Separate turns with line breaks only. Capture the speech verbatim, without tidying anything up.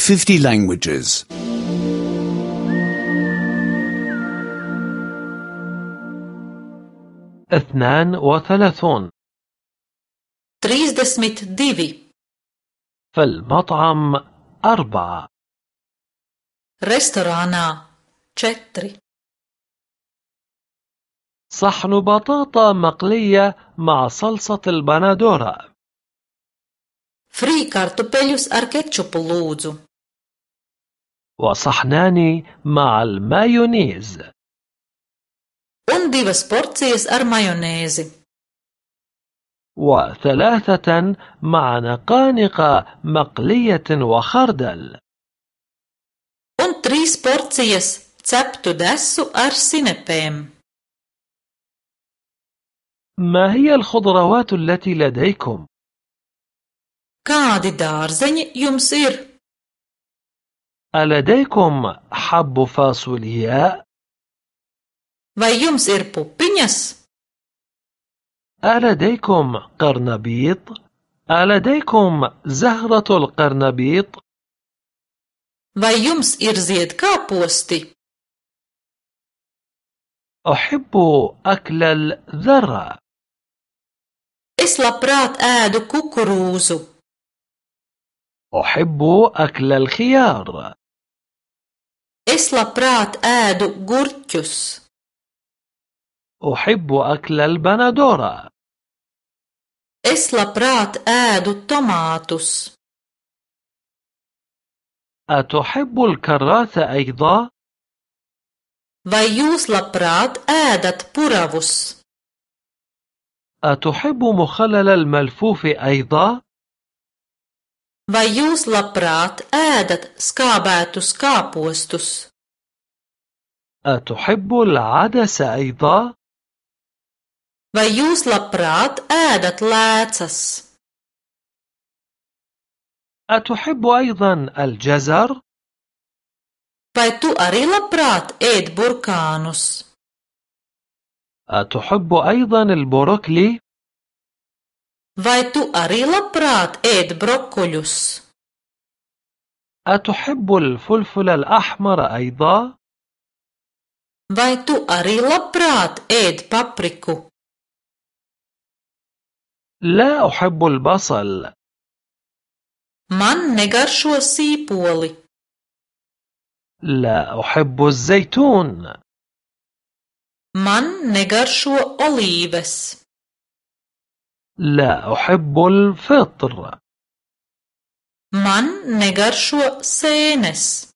fifty languages.
اثنان وثلاثون.
trīsdesmit divi.
في المطعم أربعة.
restorānā četri.
صحن بطاطا مقلية مع صلصة البندورة.
frī kartupeļus ar kečupu lūdzu.
وصحنان مع المايونيز.
un divas porcijas ar majonēzi.
وثلاثة مع نقانق مقلية وخردل.
un trīs porcijas ceptu desu ar sinepēm.
ما هي الخضروات التي لديكم؟
Kādi dārzeņi jums ir?
ألديكم حب فاصولياء؟
Vai jums ir pupiņas?
ألديكم قرنبيط؟ ألديكم زهرة القرنبيط؟
Vai jums ir ziedkāposti?
أحب أكل الذرة.
Es labprāt ēdu kukurūzu.
أحب أكل الخيار.
Es labprāt ēdu gurķus.
أحب أكل البندورة.
Es labprāt ēdu tomātus.
أتحب الكراث أيضا؟
Vai jūs labprāt ēdat puravus?
أتحب مخلل الملفوف أيضا؟
Vai jūs labprāt ēdat skābētus kāpostus?
أتحب العدس أيضا؟
Vai jūs labprāt ēdat lēcas?
أتحب أيضا الجزر؟
Vai tu arī labprāt ēd burkānus?
أتحب أيضا البروكلي؟
Vai tu arī labprāt ēd brokoļus?
أتحب الفلفل الأحمر أيضا؟
Vai tu arī labprāt ēd papriku?
لا أحب البصل.
Man negaršo sīpoli.
لا أحب الزيتون.
Man negaršo olīves.
لا أحب الفطر.
Man negaršo sēnes.